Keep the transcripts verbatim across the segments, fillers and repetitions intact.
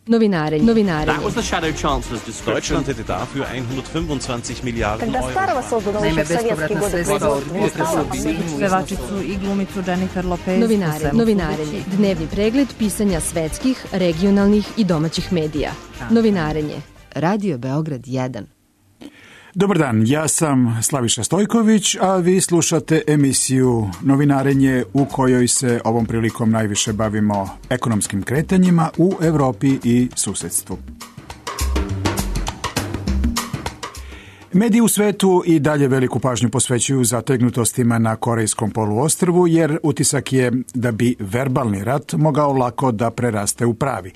Novinarenje. Novinarenje. That was the shadow chancellor's description. Deutschland hätte dafür hundertfünfundzwanzig Milliarden Euro. Naime, bespovratna sredstva od pevačicu i glumicu Jennifer Lopez. Novinare, novinarenje. Dnevni pregled pisanja svetskih, regionalnih i domaćih medija. Novinarenje. Radio Beograd jedan. Dobar dan, ja sam Slaviša Stojković, a vi slušate emisiju Novinarenje u kojoj se ovom prilikom najviše bavimo ekonomskim kretanjima u Evropi i susedstvu. Mediji u svetu i dalje veliku pažnju posvećuju zategnutostima na Korejskom poluostrvu, jer utisak je da bi verbalni rat mogao lako da preraste u pravi.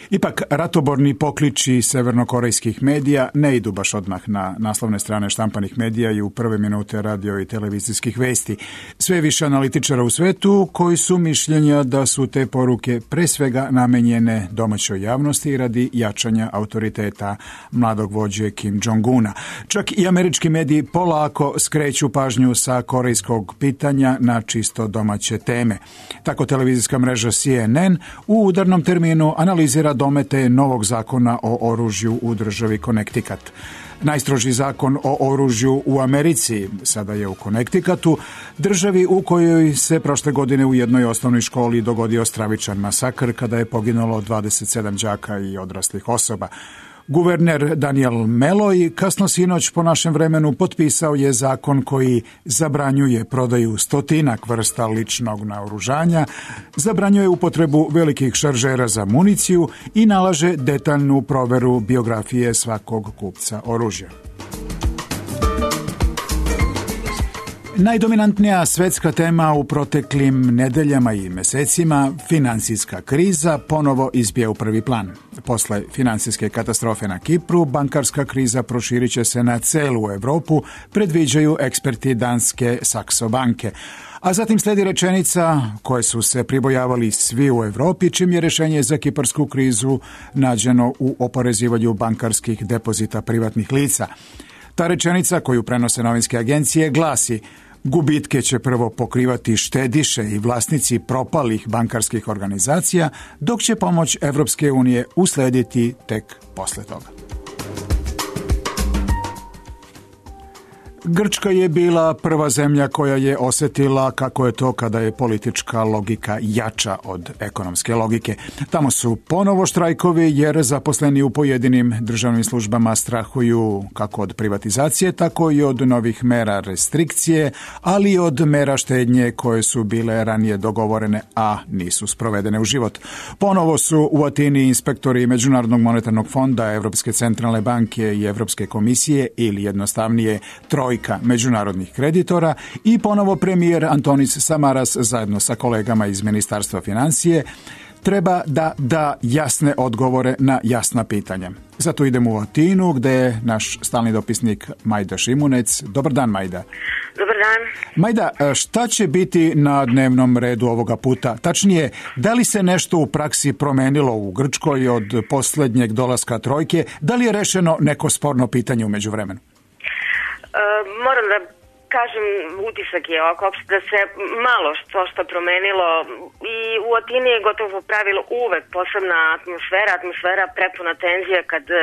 Ipak, ratoborni pokliči severnokorejskih medija ne idu baš odmah na naslovne strane štampanih medija i u prve minute radio i televizijskih vesti. Sve više analitičara u svetu koji su mišljenja da su te poruke pre svega namenjene domaćoj javnosti radi jačanja autoriteta mladog vođe Kim Jong-una. Čak i američki mediji polako skreću pažnju sa korejskog pitanja na čisto domaće teme. Tako televizijska mreža C N N u udarnom terminu analizira domete novog zakona o oružju u državi Connecticut. Najstrožiji zakon o oružju u Americi sada je u Connecticutu, državi u kojoj se prošle godine u jednoj osnovnoj školi dogodio stravičan masakr kada je poginulo dvadeset sedam đaka i odraslih osoba. Guverner Daniel Malloy kasno sinoć po našem vremenu potpisao je zakon koji zabranjuje prodaju stotinak vrsta ličnog naoružanja, zabranjuje upotrebu velikih šaržera za municiju i nalaže detaljnu proveru biografije svakog kupca oružja. Najdominantnija svetska tema u proteklim nedeljama i mesecima, finansijska kriza, ponovo izbija u prvi plan. Posle finansijske katastrofe na Kipru, bankarska kriza proširit će se na celu Evropu, predviđaju eksperti danske Saxo banke. A zatim sledi rečenica koje su se pribojavali svi u Evropi, čim je rešenje za kiparsku krizu nađeno u oporezivanju bankarskih depozita privatnih lica. Ta rečenica koju prenose novinske agencije glasi: gubitke će prvo pokrivati štediše i vlasnici propalih bankarskih organizacija, dok će pomoć Evropske unije uslediti tek posle toga. Grčka je bila prva zemlja koja je osetila kako je to kada je politička logika jača od ekonomske logike. Tamo su ponovo štrajkovi jer zaposleni u pojedinim državnim službama strahuju kako od privatizacije, tako i od novih mera restrikcije, ali i od mera štednje koje su bile ranije dogovorene, a nisu sprovedene u život. Ponovo su u Atini inspektori Međunarodnog monetarnog fonda, Evropske centralne banke i Evropske komisije, ili jednostavnije trojka međunarodnih kreditora, i ponovo premijer Antonis Samaras zajedno sa kolegama iz Ministarstva financije treba da da jasne odgovore na jasna pitanja. Zato idemo u Atinu gde je naš stalni dopisnik Majda Šimunec. Dobar dan, Majda. Dobar dan. Majda, šta će biti na dnevnom redu ovoga puta? Tačnije, da li se nešto u praksi promenilo u Grčkoj od posljednjeg dolaska trojke? Da li je rešeno neko sporno pitanje u međuvremenu? Uh, moram da kažem, utisak je ovako da se malo što što promenilo i u Atini je gotovo pravilo uvek posebna atmosfera, atmosfera prepuna tenzija kad uh,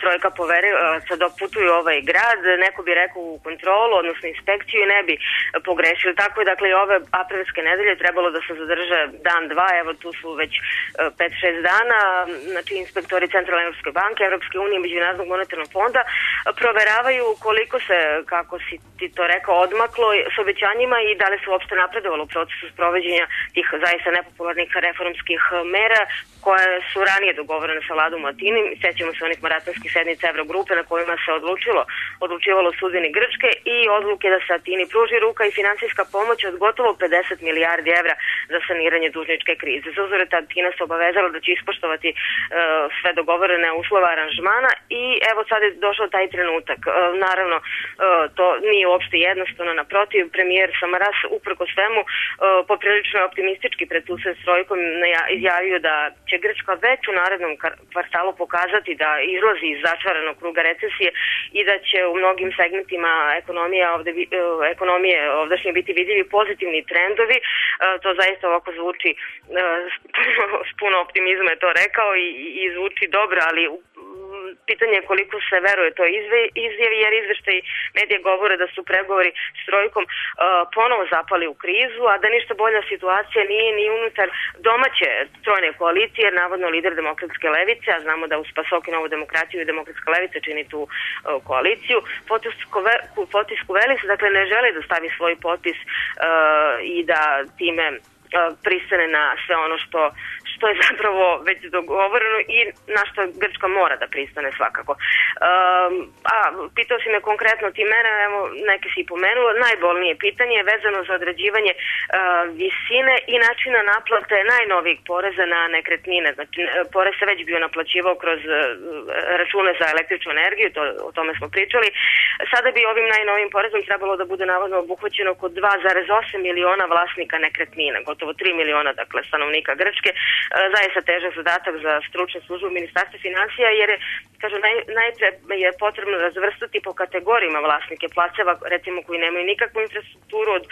trojka poverilaca dok putuju u ovaj grad, neko bi rekao u kontrolu, odnosno inspekciju, i ne bi pogrešili. Tako je, dakle, i ove aprilske nedelje trebalo da se zadrže dan, dva, evo tu su već pet šest dana, znači inspektori Centralne Evropske banke, Evropske unije, Međunarodnog monetarnog fonda proveravaju koliko se, kako si ti to rekao, odmaklo s obećanjima i da li se uopšte napredovalo u procesu sprovođenja tih zaista nepopularnih reformskih mera koje su ranije dogovorene sa vladom u Atini. Sećamo se onih maratonskih sednica Evrogrupe na kojima se odlučilo, odlučivalo o sudbini Grčke i odluke da se Atini pruži ruka i finansijska pomoć od gotovo pedeset milijardi evra za saniranje dužničke krize. Za uzvrat Atina se obavezala da će ispoštovati uh, sve dogovorene uslova aranžmana i evo sad je došao taj trenutak. Uh, naravno, uh, to nije uopšte jednostavno. Naprotiv, premijer Samaras uprko svemu poprilično je optimistički pred susret s trojkom izjavio da će Grčka već u narednom kvartalu pokazati da izlazi iz začaranog kruga recesije i da će u mnogim segmentima ekonomije ovde, ekonomije ovdašnje biti vidljivi pozitivni trendovi. To zaista ovako zvuči s puno optimizma je to rekao i, i zvuči dobro, ali pitanje je koliko se veruje to izjavi, jer izveštaj medije govore da su pregovori s trojkom uh, ponovo zapali u krizu, a da ništa bolja situacija nije ni unutar domaće trojne koalicije, jer navodno lider demokratske levice, a znamo da uz PASOK i Novu demokratiju i demokratska levica čini tu uh, koaliciju, potisku Velis, dakle ne žele da stavi svoj potpis uh, i da time pristane na sve ono što, što je zapravo već dogovoreno i na što Grčka mora da pristane svakako. Um, a pitao si me konkretno ti mene, evo neke si pomenula, najbolnije pitanje je vezano za određivanje uh, visine i načina naplate najnovijeg poreza na nekretnine. Znači, porez se već bio naplaćivao kroz uh, račune za električnu energiju, to, o tome smo pričali. Sada bi ovim najnovijim porezom trebalo da bude navodno obuhvaćeno oko dva zarez osam miliona vlasnika nekretnina, gotovo tri miliona, dakle, stanovnika Grčke. Zaista težak zadatak za stručnu službu Ministarstva finansija, jer je, kažu, naj, najpre je potrebno razvrstati po kategorijama vlasnike placeva, recimo koji nemaju nikakvu infrastrukturu, od,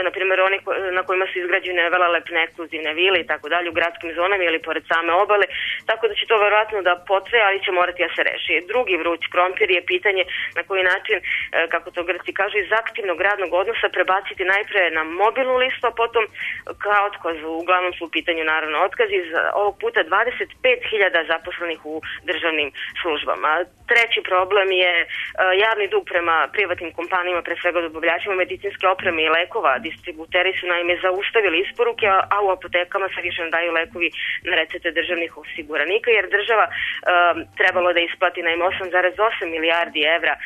na primjer, oni na kojima su izgrađene velelepne ekskluzivne vile i tako dalje u gradskim zonama ili pored same obale, tako da će to verovatno da potraje, ali će morati da se reši. Drugi vruć krompir je pitanje na koji način, kako to Grci kažu, iz aktivnog radnog odnosa prebaciti najpre na mobilnu listu, a potom ka otkazu. Uglavnom su u pitanju naravno otkazi, iz ovog puta dvadeset pet hiljada zaposlenih u državnim službama. Treći problem je javni dug prema privatnim kompanijama, pre svega dobavljačima medicinske opreme i lekova. Distributeri su naime zaustavili isporuke, a u apotekama se više ne daju lekovi na recepte državnih osiguranika, jer država uh, trebalo da isplati naime osam zarez osam milijardi evra uh,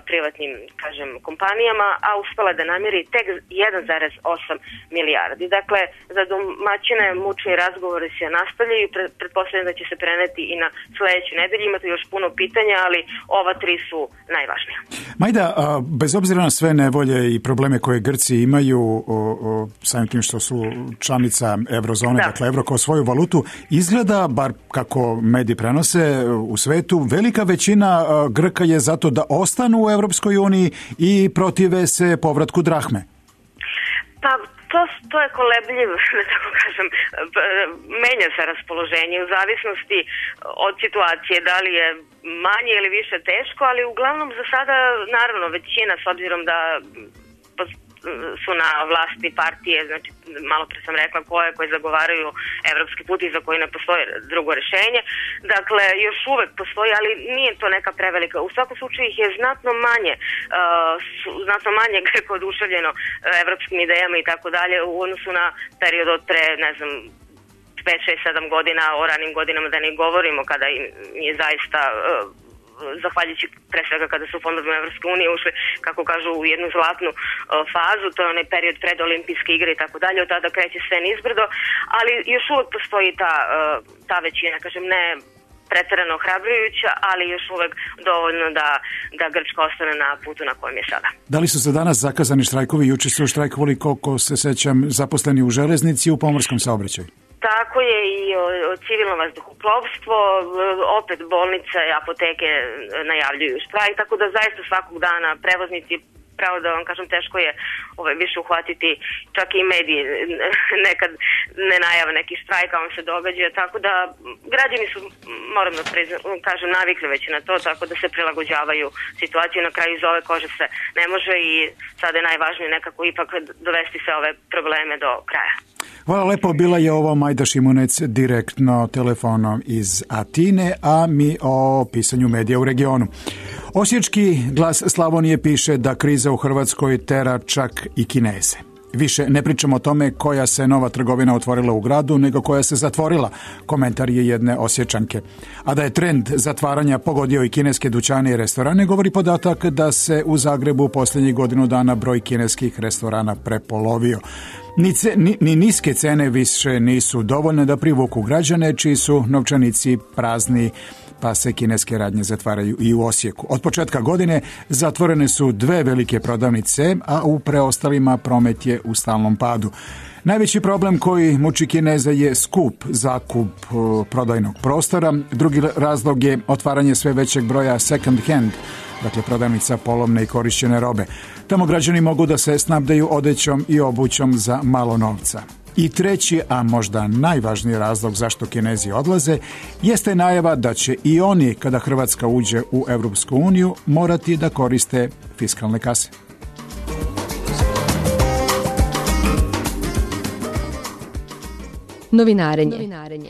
privatnim, kažem, kompanijama, a uspela da namiri tek jedan zarez osam milijardi. Dakle, za domaćine mučni razgovori se nastavljaju i pretpostavljam da će se preneti i na sledeću nedelju. Imate još puno pitanja, ali ova tri su najvažnija. Majda, bez obzira na sve nevolje i probleme koje Grci imaju, o, o, samim tim što su članica eurozone, da. Dakle evro kao svoju valutu, izgleda, bar kako mediji prenose u svetu, velika većina Grka je zato da ostanu u Evropskoj uniji i protive se povratku drahme. Pa To, to je kolebljiv, da tako kažem, menja se raspoloženje u zavisnosti od situacije, da li je manje ili više teško, ali uglavnom za sada, naravno, većina, s obzirom da su na vlasti partije, znači malo pre sam rekla koje, koje zagovaraju evropski put i za koji ne postoji drugo rešenje. Dakle, još uvek postoji, ali nije to neka prevelika. U svakom slučaju ih je znatno manje, uh, su, znatno manje greko oduševljeno uh, evropskim idejama i tako dalje u odnosu na period od pre, ne znam, pet, šest, sedam godina, o ranim godinama da ne govorimo, kada je zaista uh, zahvaljujući pre svega kada su fondovima Evropske unije ušli, kako kažu, u jednu zlatnu uh, fazu, to je onaj period pred olimpijske igre i tako dalje, od tada kreće sve nizbrdo, ali još uvek postoji ta, uh, ta većina, kažem, ne preterano ohrabrujuća, ali još uvek dovoljno da, da Grčka ostane na putu na kojem je sada. Da li su za danas zakazani štrajkovi? Juče su štrajkovali, koliko se sećam, zaposleni u železnici i u pomorskom saobraćaju. Tako je i civilno vazduhoplovstvo, opet bolnice i apoteke najavljuju štrajk, tako da zaista svakog dana prevoznici, pravo da vam kažem, teško je ovaj, više uhvatiti, čak i mediji nekad ne najave neki štrajk, a on se događa, tako da građani su, moram da priznam, kažem, navikli već na to, tako da se prilagođavaju situaciju, na kraju iz ove kože se ne može i sada je najvažnije nekako ipak dovesti sve ove probleme do kraja. Hvala lepo, bila je ovo Majda Šimunec direktno telefonom iz Atine, a mi o pisanju medija u regionu. Osječki Glas Slavonije piše da kriza u Hrvatskoj tera čak i Kineze. Više ne pričamo o tome koja se nova trgovina otvorila u gradu, nego koja se zatvorila, komentar je jedne Osječanke. A da je trend zatvaranja pogodio i kineske dućane i restorane, govori podatak da se u Zagrebu posljednjih godinu dana broj kineskih restorana prepolovio. Ni, ce, ni, ni niske cene više nisu dovoljne da privuku građane čiji su novčanici prazni, pa se kineske radnje zatvaraju i u Osijeku. Od početka godine zatvorene su dve velike prodavnice, a u preostalima promet je u stalnom padu. Najveći problem koji muči Kineza je skup zakup prodajnog prostora. Drugi razlog je otvaranje sve većeg broja second hand, dakle prodavnica polovne i korišćene robe. Tamo građani mogu da se snabdeju odećom i obućom za malo novca. I treći, a možda najvažniji razlog zašto Kinezi odlaze, jeste najava da će i oni, kada Hrvatska uđe u Evropsku uniju, morati da koriste fiskalne kase. Novinarenje.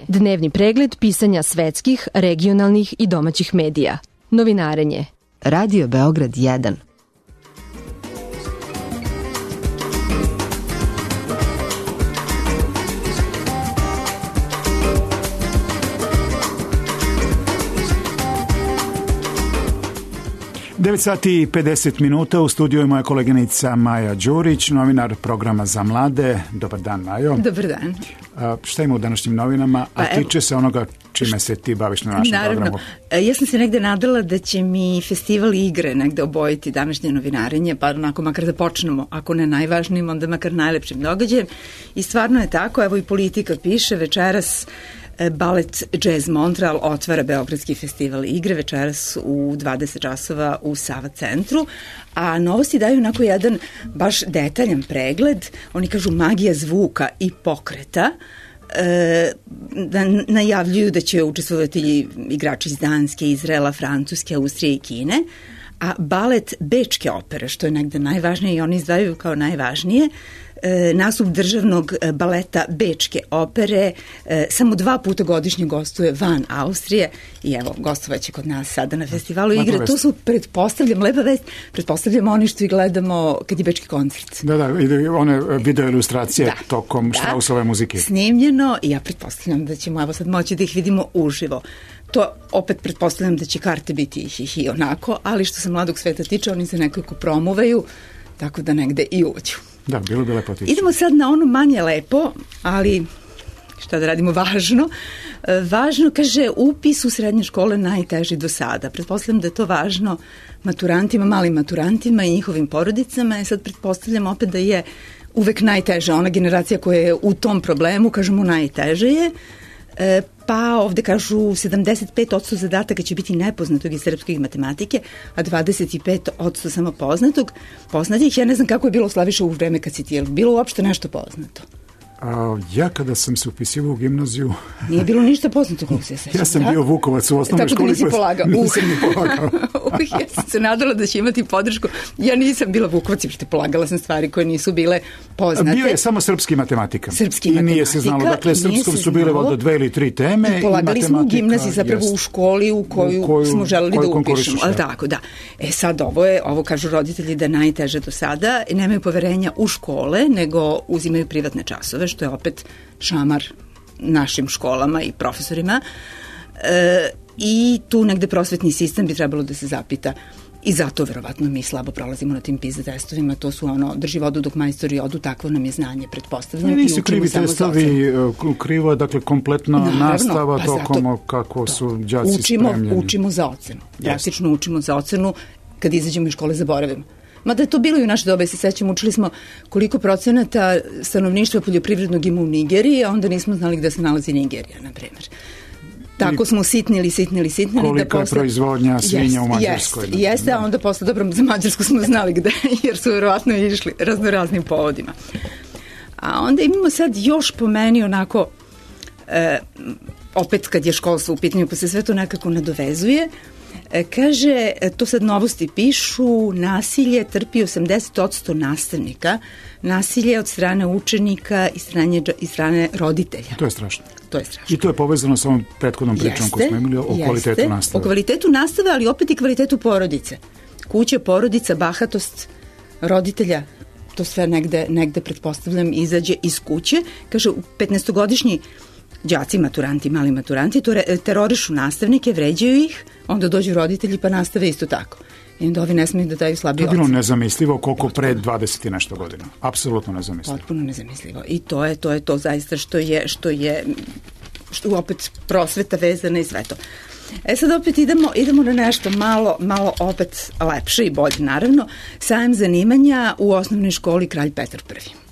Dnevni pregled pisanja svetskih, regionalnih i domaćih medija. Novinarenje. Radio Beograd jedan. devet sati i pedeset minuta, u studiju je moja koleginica Maja Đurić, novinar programa za mlade. Dobar dan, Majo. Dobar dan. A, šta ima u današnjim novinama, a pa, tiče se onoga čime se ti baviš na našem naravno, programu? Ja sam se negde nadala da će mi festival igre negde obojiti današnje novinarenje, pa onako makar da počnemo, ako ne najvažnijim, onda makar najlepšim događajem. I stvarno je tako, evo i Politika piše večeras Balet Jazz Montreal otvara Beogradski festival igre večeras u dvadeset časova u Sava centru, a novosti daju onako jedan baš detaljan pregled. Oni kažu magija zvuka i pokreta, e, da najavljuju da će učestvovati igrači iz Danske, Izraela, Francuske, Austrije i Kine, a balet Bečke opere, što je negde najvažnije i oni izdvajaju kao najvažnije, nastup državnog baleta Bečke opere samo dva puta godišnje gostuje van Austrije i evo, gostovaće kod nas sada na festivalu igre. To su, pretpostavljam, lepa vest, pretpostavljamo oni što i gledamo kad je Bečki koncert. Da, da, i one video ilustracije da, tokom da, Štrausove muzike. Snimljeno i ja pretpostavljam da ćemo evo sad moći da ih vidimo uživo. To opet pretpostavljam da će karte biti i, i onako, ali što se mladog sveta tiče, oni se nekako promuvaju, tako da negde i uđu. Da, bilo bi lepo tići. Idemo sad na ono manje lepo, ali šta da radimo, važno. Važno, kaže, upis u srednje škole najteži do sada. Pretpostavljam da je to važno maturantima, malim maturantima i njihovim porodicama. I sad pretpostavljam opet da je uvek najteža. Ona generacija koja je u tom problemu, kažemo, najteže je. E, pa ovde kažu sedamdeset pet posto zadataka će biti nepoznatog iz srpske i matematike, a dvadeset pet posto samo poznatog. Poznatih, ja ne znam kako je bilo, Slaviša, u vreme kad si ti, je bilo uopšte nešto poznato? A, ja kada sam se upisivao u gimnaziju... Nije bilo ništa poznato kako se sećam. Ja sam da? bio Vukovac u osnovnoj školi. Tako da nisi polagao. Nisam ni polagao. uh, ja sam se nadala da će imati podršku. Ja nisam bila Vukovac, jer te polagala sam stvari koje nisu bile poznate. Bio je samo srpski matematika. Srpski I matematika. nije se znalo. Dakle, srpskom su bile voda dve ili tri teme. I polagali i smo u gimnaziji, zapravo jest. u školi u koju, u koju smo želeli koju da upišemo. Ali tako, da. E sad ovo je, ovo kažu roditelji da je najteže do sada. Nemaju poverenja u škole, nego uzimaju privatne časove, što je opet šamar našim školama i profesorima. E, I tu negde prosvetni sistem bi trebalo da se zapita. I zato verovatno mi slabo prolazimo na tim PISA testovima. To su ono, drži vodu dok majstori odu, takvo nam je znanje, pretpostavljam. Ne, nisu krivi testovi, krivo je dakle kompletna Naravno, nastava pa tokom kako to, su đaci učimo, spremljeni. Učimo za ocenu. Praktično učimo za ocenu, kad izađemo iz škole zaboravimo. Mada je to bilo i u naše dobe, se sećamo, učili smo koliko procenata stanovništva poljoprivrednog ima u Nigeriji, a onda nismo znali gde se nalazi Nigerija, na primjer. Tako smo sitnili, sitnili, sitnili. Kolika da posle... je proizvodnja svinja jest, u Mađarskoj. Jeste, jeste, a onda posle, dobro, za Mađarsku smo znali gde, jer su verovatno išli raznoraznim povodima. A onda imamo sad još po meni onako, e, opet kad je školstvo u pitanju, pa se sve to nekako nadovezuje. Kaže, to sad novosti pišu, nasilje trpi osamdeset posto nastavnika, nasilje od strane učenika i strane, i strane roditelja. To je strašno. To je strašno. I to je povezano sa ovom prethodnom pričom jeste, koju smo imali o jeste, kvalitetu nastave. O kvalitetu nastave, ali opet i kvalitetu porodice. Kuća, porodica, bahatost roditelja, to sve negde, negde pretpostavljam izađe iz kuće. Kaže, petnaestogodišnji đaci, maturanti, mali maturanti, to terorišu nastavnike, vređaju ih, onda dođu roditelji pa nastave isto tako. I onda ovi ne smiju da daju slabije ocene. To je bilo nezamislivo koliko pre dvadeset i nešto godina. Apsolutno nezamislivo. Potpuno nezamislivo. I to je to, je to zaista što je, što je što opet prosveta vezana i sve to. E sad opet idemo, idemo na nešto malo, malo opet lepše i bolje, naravno. Sajam zanimanja u osnovnoj školi Kralj Petar Prvi.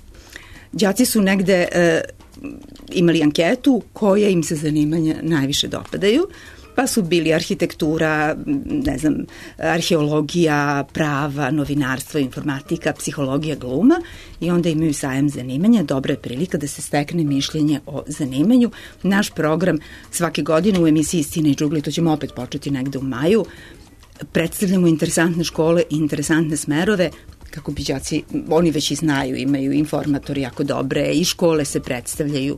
Đaci su negde e, imali anketu koje im se zanimanja najviše dopadaju, pa su bili arhitektura, ne znam, arheologija, prava, novinarstvo, informatika, psihologija, gluma i onda imaju sajam zanimanja. Dobra je prilika da se stekne mišljenje o zanimanju. Naš program svake godine u emisiji Istina i džugli, to ćemo opet početi negde u maju, predstavljamo interesantne škole i interesantne smerove kako bi đaci, oni već i znaju, imaju informatori jako dobre i škole se predstavljaju,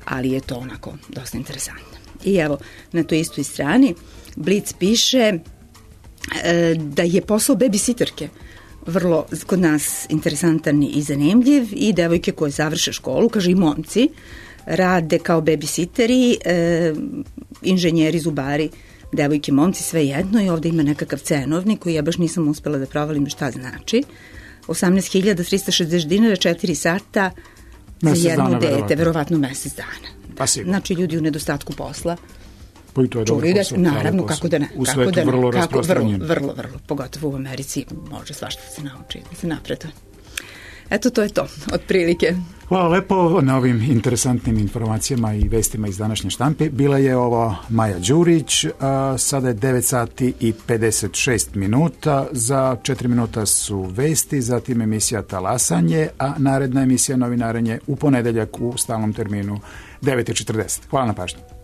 ali je to onako dosta interesantno. I evo, na toj istoj strani Blic piše e, da je posao babysitterke vrlo kod nas interesantan i zanimljiv i devojke koje završe školu, kaže i momci, rade kao babysitteri, e, inženjeri, zubari, devojke, momci, sve jedno i ovde ima nekakav cenovnik koji ja baš nisam uspela da provalim šta znači. osamnaest hiljada trista šezdeset dinara, četiri sata mesec za jedno dana, dete, verovatno, verovatno mesec dana. Pa znači ljudi u nedostatku posla pa i to je dobro posao. Naravno, kako da ne. U svetu da ne, vrlo kako, rasprostranjen. Vrlo, vrlo, vrlo, pogotovo u Americi može svašta se nauči, da se napreduje. Eto, to je to, otprilike. Hvala lepo na ovim interesantnim informacijama i vestima iz današnje štampe. Bila je ovo Maja Đurić, a sada je devet sati i pedeset šest minuta, za četiri minuta su vesti, zatim emisija Talasanje, a naredna emisija Novinarenje u ponedeljak u stalnom terminu devet i četrdeset. Hvala na pažnju.